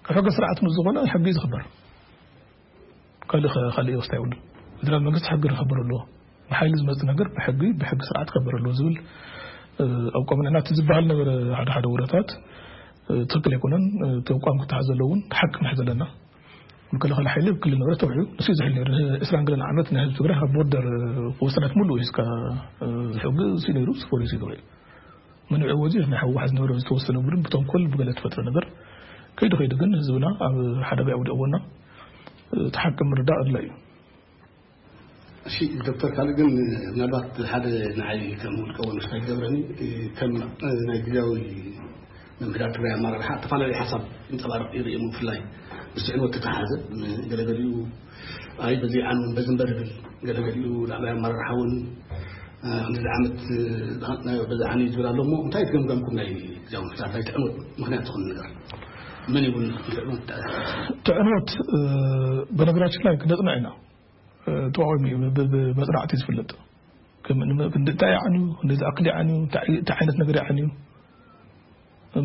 ካብ ሕጊ ስርዓት ምስ ዝኾነ ሕጊ እዩ ዝኽበር። ካልእ ኸ- ካልእ ወስታ ይብሉ። ፌደራል መንግስቲ ሕጊ ክኸበር ኣለዎ። ብሓይሊ ዝመፅ ነገር ብሕጊ ብሕጊ ስርዓት ክኸበር ኣለዎ ዝብል ኣቋም ንሕና እቲ ዝበሃል ነበረ። ሓደ ሓደ ወረታት ትክክል ኣይኮነን። እቲ ኣቋም ክተሓዝ ዘለውን ሓቂ ንሕ ዘለና መከላኸሊ ሓይሊ ክልል ንብረት ተውዕዩ ንሱ ዝሕል ነሩ ዕስራን ገለን ዓመት ናይ ህዝቢ ትግራይ ካብ ቦርደር ወሰናት ሙሉ ሒዝካ ዝሕጊ እሱ ነሩ ስፖሊሲ ተውዕዩ መንዕዎ እዚ ናይ ሕወሓት ዝነበረ ዝተወሰነ ቡድን ብተንኮል ብገለ ተፈጥረ ነገር ከይዱ ከይዱ ግን ህዝብና ኣብ ሓደጋ የውድቕዎና። እቲ ሓቂ ምርዳእ ኣድላይ እዩ። እሺ ዶክተር ካልእ ግን ምናልባት ሓደ ንዓይ ከም ውልቀ ወንስታ ይገብረኒ ከም ናይ ግዜያዊ ምምሕዳር ትግራይ ኣመራርሓ ዝተፈላለዩ ሓሳብ ይንፀባረቕ ይርኢ ብፍላይ ምስ ዕንወት ተተሓዘ ገለገሊኡ ኣይ በዚ ዓኑ በዚ እምበር ይብል ገለገሊኡ ላዕላይ ኣመራርሓ እውን ክንዲ ዓመት በዚ ዓኑ እዩ ዝብል ኣሎ እሞ እንታይ ትገምገምኩም ናይ ግዜያዊ ምምሕዳር ናይ ትዕንወት ምክንያት ዝኾነ ነገር መን ይብል ትዕንወት ትዕንወት በነገራችን ላይ ክነፅንዕ ኢና ተቃዋሚ ብመፅናዕቲ ዝፍለጥ እንታይ ይዓንዩ እንደዚ ኣክል ይዓንዩ እንታይ ዓይነት ነገር ይዓንዩ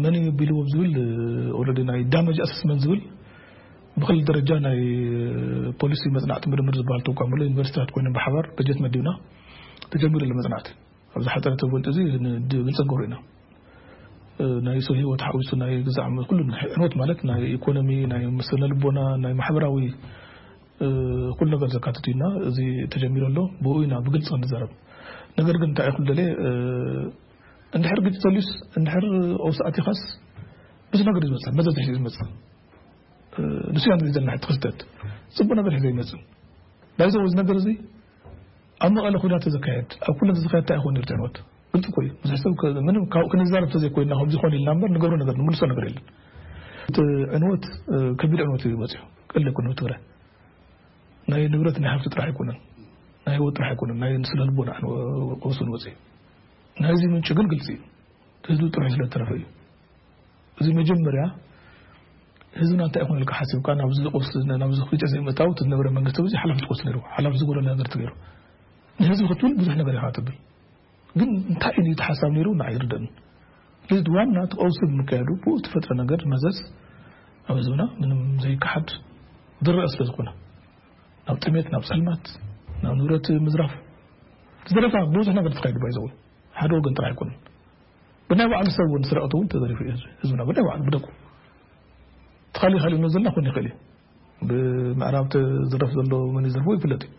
መን ቢልዎም ዝብል ኦረዲ ናይ ዳመጅ ኣሰስመንት ዝብል ብክል ደረጃ ናይ ፖሊሲ መፅናዕቲ ምርምር ዝበሃል ተቋም ኣሎ ዩኒቨርሲቲታት ኮይኖም ብሓባር በጀት መዲብና ተጀሚሩ ኣሎ መፅናዕቲ ኣብዚ ሓፀረ ተገልጡ እዚ ብልፀገሩ ኢና ናይ ሰው ህይወት ሓዊሱ ናይ ግዛዕ ኩሉ ዕንወት ማለት ናይ ኢኮኖሚ ናይ ስነ ልቦና ናይ ማሕበራዊ ኩሉ ነገር ዘካትት ኢና እዚ ተጀሚሩ ኣሎ ብኡ ኢና ብግልፂ ክንዛረብ ነገር ግን እንታይ ይኹን ደለ እንድሕር ግጭት ተልዩስ እንድሕር ኦብስ ኣቲኻስ ብዙ ነገር ዝመፅእ መዘዝ ዝመፅእ ንሱ ያን ግዜ ዘለና ክስተት ፅቡቅ ነገር ሒዘ ይመፅእ ናይዚ እዚ ነገር እዚ ኣብ መቐለ ኩናት ተዘካየድ ኣብ ኩናት ተዘካየድ እንታይ ይኾን ይርትዕኖት ግልፂ እኮ እዩ ብዙሕ ሰብ ምንም ካብኡ ክንዛረብ ተዘይኮይና ከምዚ ይኾን ኢልና እምበር ንገብሮ ነገር ንምልሶ ነገር የለን እቲ ዕንወት ከቢድ ዕንወት እዩ መፅኡ ቀለ ኩነ ትግራይ ናይ ንብረት ናይ ሃብቲ ጥራሕ ኣይኮነን ናይ ህይወት ጥራሕ ኣይኮነን፣ ናይ ስነ ልቦና ቀውስን ወፂ። ናይዚ ምንጭ ግን ግልፂ እዩ። ህዝቢ ጥራሕ ስለተረፈ እዩ። እዚ መጀመርያ ህዝብና እንታይ ይኹን ኢልካ ሓሲብካ ናብዚ ቀውስ፣ ናብዚ ክልተ ዘይመታው እቲ ዝነበረ መንግስቲ ብዙሕ ሓላፍነት ክወስድ ነይሩ። ሓላፍነት ዝጎደሎ ነገር ተገይሩ። ንህዝቢ ክትብል ብዙሕ ነገር ኢኻ ትብል። ግን እንታይ እዩ እቲ ሓሳብ ነይሩ? ንዓይ ኣይርደእን። ስለዚ ዋና እቲ ቀውሲ ብምካየዱ ብኡ እትፈጥረ ነገር መዘዝ ኣብ ህዝብና ምንም ዘይከሓድ ዝረአ ስለ ዝኾነ ናብ ጥሜት፣ ናብ ጸልማት፣ ናብ ንብረት ምዝራፍ፣ ዝረፋ ብዙሕ ነገር ተኻይዱ ባይዘው ሓደ ወገን ጥራሕ ኣይኮነን። ብናይ ባዕሉ ሰብ እውን ስረቕቲ እውን ተዘሪፉ እዩ ህዝቢ። ህዝብና ብናይ ባዕሉ ብደቁ ትኻሊ ካሊ ነው ዘለና ክኾን ይኽእል እዩ። ብምዕራብ ዝረፍ ዘሎ መን ይዘርፎ ይፍለጥ እዩ።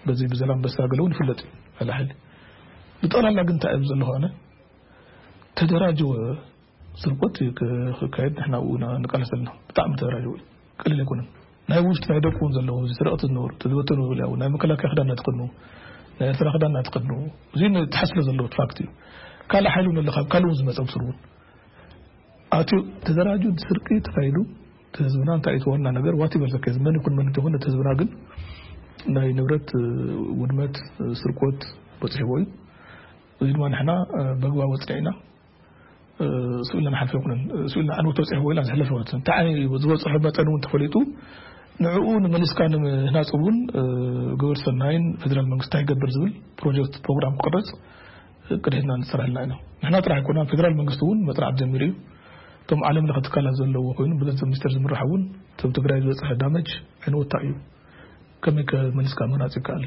በዚ ብዘላንበሳ ገለ እውን ይፍለጥ እዩ። ሓይሊ ብጠቕላላ ግን እንታይ እዩ ዘሎ ከሆነ ተደራጀወ ስርቆት ክካየድ ንሕና ኣብኡ ኢና ንቃለስ ዘለና። ብጣዕሚ ተደራጀወ እዩ። ቀሊል ኣይኮነን። ናይ ውሽጢ ናይ ደቁ እውን ዘለዉ፣ እዚ ስረቕቲ ዝነበሩ፣ ተዝበተኑ ይብሉ ያው፣ ናይ መከላከያ ክዳን እናተኸድኑ፣ ናይ ኤርትራ ክዳን እናተኸድኑ፣ እዚ ንትሓት ስለ ዘለዎ እቲ ፋክት እዩ። ካልእ ሓይሊ እውን ኣሎ፣ ካብ ካልእ እውን ዝመጸ ብስሩ እውን። ኣትዩ ተደራጁ፣ ስርቂ ተኻይዱ፣ እቲ ህዝብና እንታይ እዩ እቲ ዋና ነገር? ዋት ይበል ዘከ፣ መን ይኹን መን እንተይኮነ፣ እቲ ህዝብና ግን ናይ ንብረት፣ እ፣ ውድመት፣ እ፣ ስርቆት በጺሕዎ እዩ። እዚ ድማ ንሕና፣ እ፣ በግባቡ ኣጽኒዕና፣ እ፣ ስኢልና ንሓልፎ ኣይኮነን። እ፣ ስኢልና ኣንወት ተበጺሕዎ ኢልና ዝሕለፍ ኣይኮነን። እንታይ ዓይነት እዩ ዝበጽሖ መጠን እውን ተፈሊጡ፣ ንዕኡ ንመሊስካ ንምህናጽ እውን፣ እ፣ ግብረ ሰናይን ፌደራል መንግስቲ እንታይ ይገብር ዝብል ፕሮጀክት ፕሮግራም ክቕረጽ፣ እ፣ ቅድሕና ንሰርሐልና ኢና። ንሕና ጥራሕ ኣይኮናን፣ ፌደራል መንግስቲ እውን መጽናዕቲ ጀሚሩ እዩ። እቶም ዓለም ለኸ ትካላት ዘለዎ ኮይኑ ብገንዘብ ሚኒስቴር ዝምራሕ እውን እቶም ትግራይ ዝበጽሐ ዳመጅ ዕንወታ እዩ። ከመይ ከ መሊስካ ምህናጽ ይከኣል?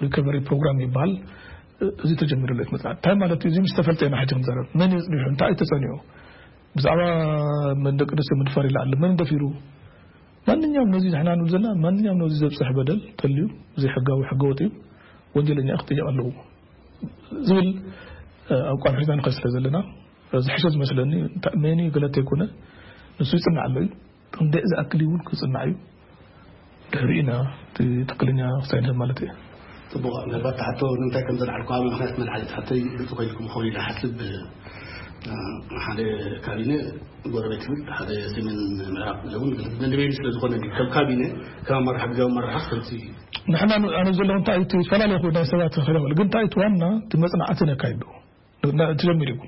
ሪከቨሪ ፕሮግራም ይበሃል። እ፣ እዚ ተጀሚሩ ኣሎ መጽናዕቲ። እንታይ ማለት እዩ? እዚ ምስ ተፈልጠ ኢና ሕጂ ክንዛረብ። መን እዩ ኣጽኒሑ? እንታይ እዩ ተጸኒዑ? ብዛዕባ መን ደቂ ኣንስትዮ ምድፋር ኢላ ኣለ። መን ደፊሩ? ማንኛውም ነዚ ንሕና ንብል ዘለና፣ ማንኛውም ነዚ ዘብጽሕ በደል ተልዩ፣ ዘይሕጋዊ ሕገ ወጥ እዩ፣ ወንጀለኛ ክጥየቕ ኣለዎ ዝብል፣ እ፣ ኣቋም ሒዝና ንኸይድ ስለ ዘለና፣ ዝሕሸ ዝመስለኒ፣ እንታይ መን እዩ ገለ እንተይኮነ፣ ንሱ ይጽናዕ ኣሎ እዩ። ክንደይ ዝኣክል እውን ክጽናዕ እዩ። ድሕሪኡ ኢና እቲ ትክክለኛ ውሳኔ ማለት እዩ። ጽቡቕ፣ ምናልባት ትሓቶ ንምንታይ ከም ዘልዓልኩ ኣብ ምኽንያት መልዓሊ ትሓተይ ግልጺ ኮይልኩም ክኸውን ኢለ ሓስብ። እ፣ ሓደ ካቢነ ጎረቤት ይብል፣ ሓደ ሰሜን ምዕራብ ዝብል፣ ግን ነንበይኑ ስለ ዝኾነ፣ ከም ካቢነ፣ ከም ኣመራርሓ፣ ግዜያዊ ኣመራርሓ፣ ከምቲ ንሕና ን-፣ ኣነ ዘለኹ እንታይ እዩ፣ እቲ ዝተፈላለየ ይኹን ናይ ሰባት ክረብል፣ ግን እንታይ እቲ ዋና፣ እቲ መጽናዕቲ ነካይዱ። ን-፣ ን-፣ እቲ ጀሚሩ እዩ።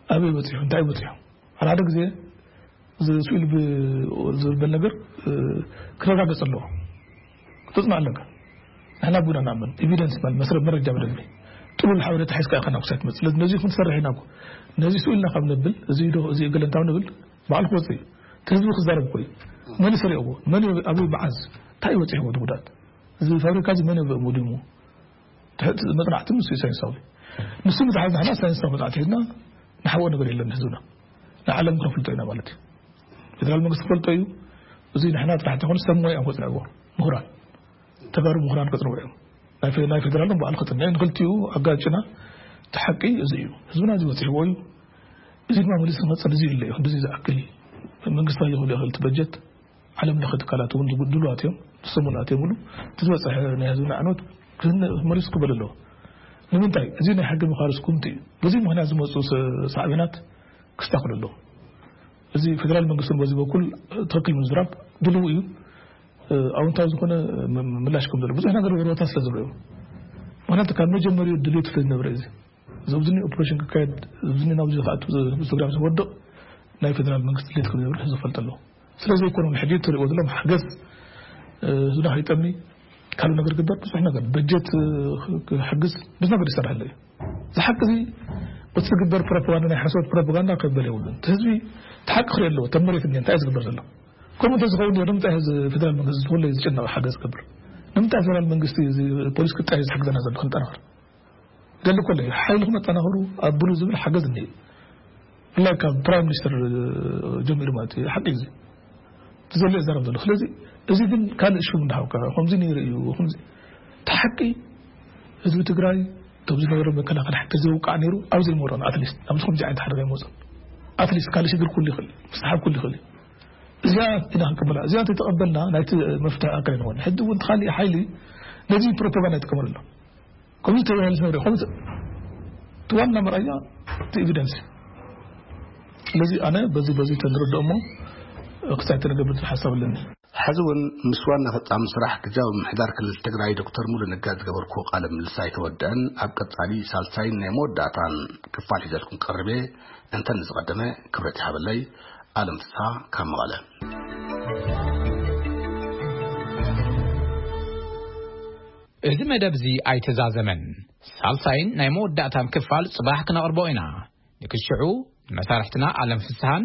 ኣበይ በጺሑ፣ እንታይ በጺሑ? ሓደ ሓደ ግዜ እዚ ስኢል ብ-፣ ዝብል ነገር፣ እ፣ ክረጋገጽ ኣለዎ። ክትጽናዕ ኣለካ። ንሕና ቡና ንኣምን። ኤቪደንስ ማለት መስረ-፣ መረጃ በደንቢ። ጥሉል ሓበሬታ ሒዝካ ኢኻ ናብ ክሳይ ትመጽእ። ስለዚ ነዚ ክንሰርሕ ኢና እኮ። ነዚ ስኢልና ካብ ነብል፣ እዚ ዶ፣ እዚ ገለ እንታይ ንብል፣ ባዕሉ ክወጽእ እዩ። እቲ ህዝቢ ክዛረብ እኮ እዩ። መን እዩ ሰሪቕዎ? መን እዩ፣ ኣበይ፣ መዓዝ? እንታይ እዩ በጺሕዎ እቲ ጉድኣት? እዚ ፋብሪካ እዚ መን እዩ ወዲሙ? ትሕቲ መጽናዕቲ ንሱ እዩ ሳይንሳዊ። ንሱ ምትሓዝ ንሕና ሳይንሳዊ መጽናዕቲ ሒዝና ንሓብኦ ነገር የለን ህዝብና። ንዓለም ክነፍልጦ ኢና ማለት እዩ። ፌደራል መንግስቲ ክፈልጦ እዩ። እዚ ንሕና ጥራሕ እንተይኮነ ሰብ ሞያ እዮም ከጽንዕዎ። ምሁራን፣ ተጋሩ ምሁራን ከጽንዑ እዮም። ናይ ፌ-፣ ናይ ፌደራል ባዕሉ ከጽንዕ እዩ። ንክልቲኡ ኣጋጭና እቲ ሓቂ እዚ እዩ። ህዝብና እዚ በጺሕዎ እዩ። እዚ ድማ መሊሱ ክመጽእ እዚ የለ እዩ። ክንድዚ ዝኣክል መንግስታዊ ክብል ይኽእል እቲ በጀት ዓለም ለኸ ትካላት እውን ዝጉ-፣ ድሉዋት እዮም፣ ዝሰሙናት እዮም ብሉ። እቲ ዝበፅሐ ናይ ህዝብና ዕንወት ክህነ-፣ መሊሱ ክበል ኣለዎ። ንምንታይ? እዚ ናይ ሕጊ ምኻርስ ኩምቲ እዩ። በዚ ምኽንያት ዝመፁ ሰ-፣ ሳዕቤናት ክስተኻኸሉ ኣለዎ። እዚ ፌደራል መንግስቲ እውን በዚ በኩል ትኽክል ምዝራብ ድልው እዩ። እ፣ ኣውንታዊ ዝኾነ ም-፣ ምላሽ ከም ዘሎ ብዙሕ ነገር ወረታ ስለ ዝረዩ። ምኽንያቱ ካብ መጀመሪኡ ድሌት ስለ ዝነበረ እዚ እዚ ኣብዚ ኦፕሬሽን ክካየድ፣ ኣብዚ ናብዚ ዝኣቱ፣ ስግራብ ዝወድቕ ናይ ፌደራል መንግስቲ ድሌት ከም ዝነብር ህዝቢ ፈልጥ ኣለዎ። ስለ ዘይኮነ እውን ሕጂ እትሪእዎ ዘለኹም ሓገዝ፣ እ፣ ህዝብና ከይጠሚ ካልእ ነገር ግበር፣ ብዙሕ ነገር በጀት፣ እ፣ ክሕግዝ ብዙሕ ነገር ይሰርሕ ኣሎ እዩ። እዚ ሓቂ እዚ በቲ ዝግበር ፕሮፓጋንዳ፣ ናይ ሓሶት ፕሮፓጋንዳ ከበል የብሉን። እቲ ህዝቢ እቲ ሓቂ ክርኢ ኣለዎ። እቶም መሬት እኒአ እንታይ እዩ ዝግበር ዘሎ? ከምኡ እንተዝኸውን ነይሩ ንምንታይ ህዝቢ ፌደራል መንግስቲ ዝኾነ ዝጭነቕ ሓገዝ ክገብር? ንምንታይ ፌደራል መንግስቲ እዚ ፖሊስ ክጣየስ ዝሕግዘና ዘሎ ክንጠናኸር? ደሊ ኮለ ሓይልኩም ኣጠናኽሩ ኣብሉ ዝብል ሓገዝ እኒአ። ብፍላይ ካብ ፕራይም ሚኒስተር ጀሚሩ ማለት እዩ። ሓቂ እዚ እቲ ዘሎ ይዛረብ ዘሎ። ስለዚ እዚ ግን ካልእ ሽሙ እንዳሃብካ ከምዚ ነይሩ እዩ፣ ከምዚ እቲ ሓቂ ህዝቢ ትግራይ እቶም ዝነበረ መከላኸሊ ሓቂ ዘይውቃዕ ነይሩ ኣብ ዘይመሮን ኣትሊስት ኣብዚ ከምዚ ዓይነት ሓደጋ ይመፅእ ኣትሊስት ካልእ ሽግር ኩሉ ይኽእል እዩ፣ ምስሓብ ኩሉ ይኽእል እዩ። እዚኣ ኢና ክንቅበላ። እዚኣ እንተተቐበልና ናይቲ መፍትሒ ኣካል ይኸውን። ሕጂ እውን እቲ ካሊእ ሓይሊ ነዚ ፕሮፓጋንዳ ይጥቀመሉ ኣሎ። ከምዚ ተባሂሉ ዝነበረ፣ ከምዚ እቲ ዋና መርኣያ እቲ ኤቪደንስ። ስለዚ ኣነ በዚ፣ በዚ ተንርድኦ እሞ ክሳይ ተንገብር ሓሳብ ኣለኒ። ሕዚ እውን ምስ ዋና ፈጻሚ ስራሕ ግዝያዊ ምምሕዳር ክልል ትግራይ ዶክተር ሙሉ ነጋ ዝገበርኩዎ ቃለ ምልልስ ኣይተወደአን። ኣብ ቀጻሊ ሳልሳይን ናይ መወዳእታን ክፋል ሒዘልኩም ቀርብ እየ። እንተ ንዝቐደመ ክብረት ይሃበለይ። ኣለም ፍስሓ ካብ መቐለ። እዚ መደብ እዚ ኣይተዛዘመን። ሳልሳይን ናይ መወዳእታን ክፋል ጽባሕ ክነቕርቦ ኢና። ንክሽዑ ንመሳርሕትና ኣለም ፍስሓን